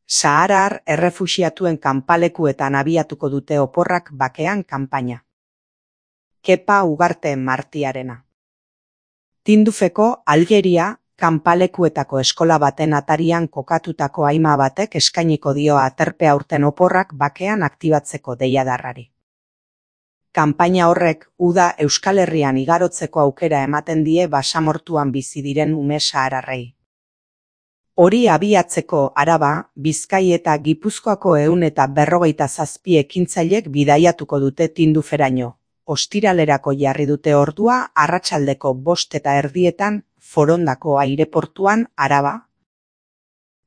Saharar errefuxiatuen kanpalekuetan abiatuko dute oporrak bakean kanpaina. Kepa Ugarte Martiarena. Tindufeko Algeria kanpalekuetako eskola baten atarian kokatutako haima batek eskainiko dio aterpe aurten oporrak bakean aktibatzeko deiadarrari. Kanpaina horrek uda Euskal Herrian igarotzeko aukera ematen die basamortuan bizi diren ume sahararrei. Hori abiatzeko Araba, Bizkai eta Gipuzkoako 157 ekintzailek bidaiatuko dute Tinduferaino. Ostiralerako jarri dute ordua arratsaldeko 5:30 Forondako aireportuan Araba.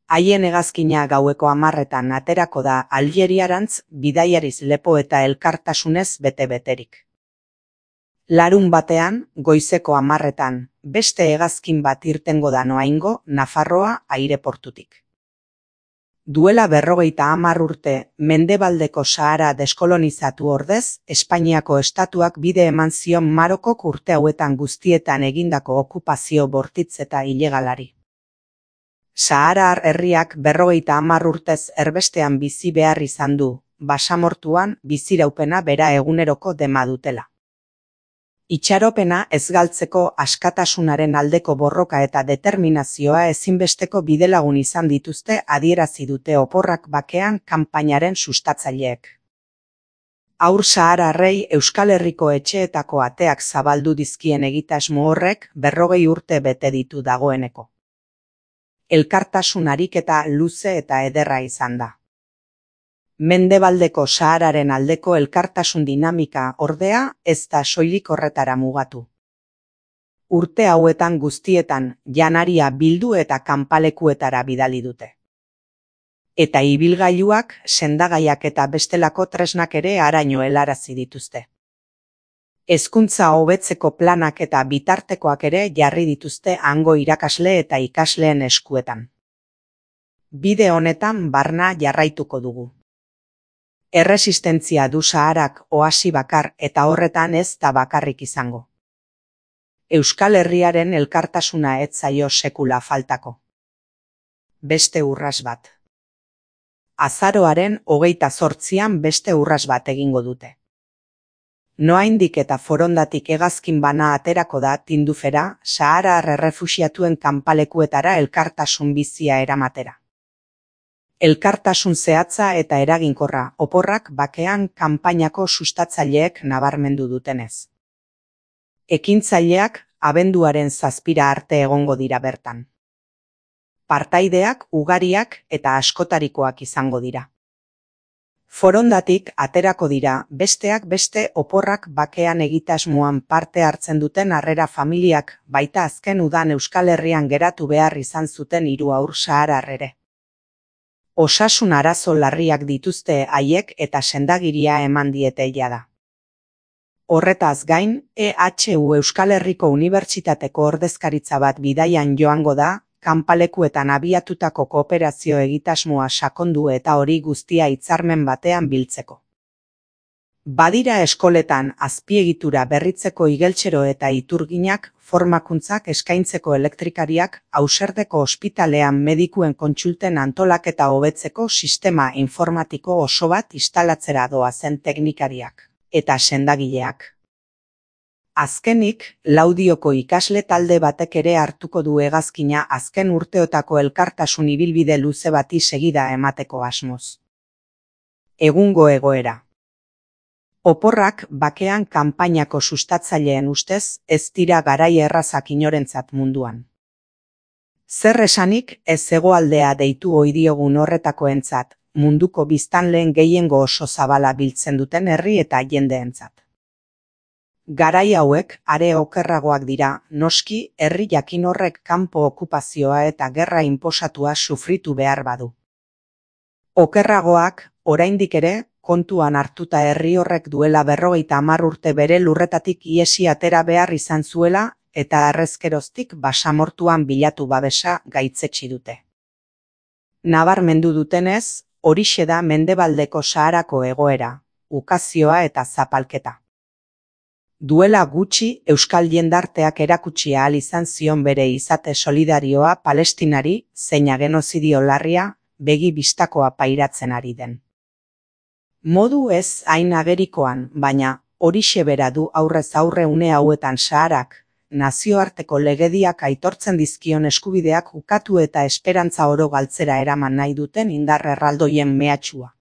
Haien hegazkina gaueko 10:00 aterako da Algeriarantz bidaiariz lepo eta elkartasunez bete-beterik. Larunbatean, goizeko 10:00 beste hegazkin bat irtengo da noaingo Nafarroa aireportutik. Duela 50 urte, mendebaldeko Sahara deskolonizatu ordez, Espainiako estatuak bide eman zion Marokok urte hauetan guztietan egindako okupazio bortitz eta ilegalari. Saharar herriak 50 urtez erbestean bizi behar izan du, basamortuan biziraupena bera eguneroko dema dutela. Itxaropena ez galtzeko askatasunaren aldeko borroka eta determinazioa ezinbesteko bidelagun izan dituzte adierazi dute oporrak bakean kanpainaren sustatzaileek. Haur sahararrei Euskal Herriko etxeetako ateak zabaldu dizkien egitasmo horrek 40 urte bete ditu dagoeneko. Elkartasun ariketa luze eta ederra izan da. Mendebaldeko Sahararen aldeko elkartasun dinamika ordea ez da soilik horretara mugatu. Urte hauetan guztietan janaria bildu eta kanpalekuetara bidali dute. Eta ibilgailuak, sendagaiak eta bestelako tresnak ere haraino helarazi dituzte. Hezkuntza hobetzeko planak eta bitartekoak ere jarri dituzte hango irakasle eta ikasleen eskuetan. Bide honetan barna jarraituko dugu. Erresistentzia du Saharak oasi bakar eta horretan ez da bakarrik izango. Euskal Herriaren elkartasuna ez zaio sekula faltako. Beste urras bat. Azaroaren 28an beste urras bat egingo dute. Noaindik eta Forondatik hegazkin bana aterako da Tindufera, Saharar errefuxiatuen kanpalekuetara elkartasun bizia eramatera. Elkartasun zehatza eta eraginkorra oporrak bakean kanpainako sustatzaileek nabarmendu dutenez. Ekintzaileak abenduaren 7 arte egongo dira bertan. Partaideak ugariak eta askotarikoak izango dira. Forondatik aterako dira besteak beste oporrak bakean egitasmoan parte hartzen duten harrera familiak baita azken udan Euskal Herrian geratu behar izan zuten 3 haur saharar ere. Osasun arazo larriak dituzte haiek eta sendagiria eman diete jada. Horretaz gain, EHU Euskal Herriko Unibertsitateko ordezkaritza bat bidaian joango da, kanpalekuetan abiatutako kooperazio egitasmoa sakondu eta hori guztia hitzarmen batean biltzeko. Badira eskoletan azpiegitura berritzeko igeltsero eta iturginak, formakuntzak eskaintzeko elektrikariak, Auserdeko ospitalean medikuen kontsulten antolaketa hobetzeko sistema informatiko oso bat instalatzera doazen teknikariak, eta sendagileak. Azkenik, Laudioko ikasle talde batek ere hartuko du hegazkina azken urteotako elkartasun ibilbide luze bati segida emateko asmoz. Egungo egoera. Oporrak bakean kanpainako sustatzaileen ustez ez dira garai errazak inorentzat munduan. Zer esanik ez hegoaldea deitu ohi diogun horretakoentzat, munduko biztanleen gehiengo oso zabala biltzen duten herri eta jendeentzat. Garai hauek are okerragoak dira, noski herri jakin horrek kanpo okupazioa eta gerra inposatua sufritu behar badu. Okerragoak, oraindik ere, kontuan hartuta herri horrek duela 50 urte bere lurretatik iesi atera behar izan zuela eta harrezkeroztik basamortuan bilatu babesa gaitzetsi dute. Nabarmendu dutenez, horixe da mendebaldeko Saharako egoera, ukazioa eta zapalketa. Duela gutxi Euskal jendarteak erakutsi ahal izan zion bere izate solidarioa Palestinari zeina genozidio larria, begi bistakoa pairatzen ari den. Modu ez hain agerikoan, baina horixe bera du aurrez aurre une hauetan Saharak, nazioarteko legediak aitortzen dizkion eskubideak ukatu eta esperantza oro galtzera eraman nahi duten indar erraldoien mehatxua.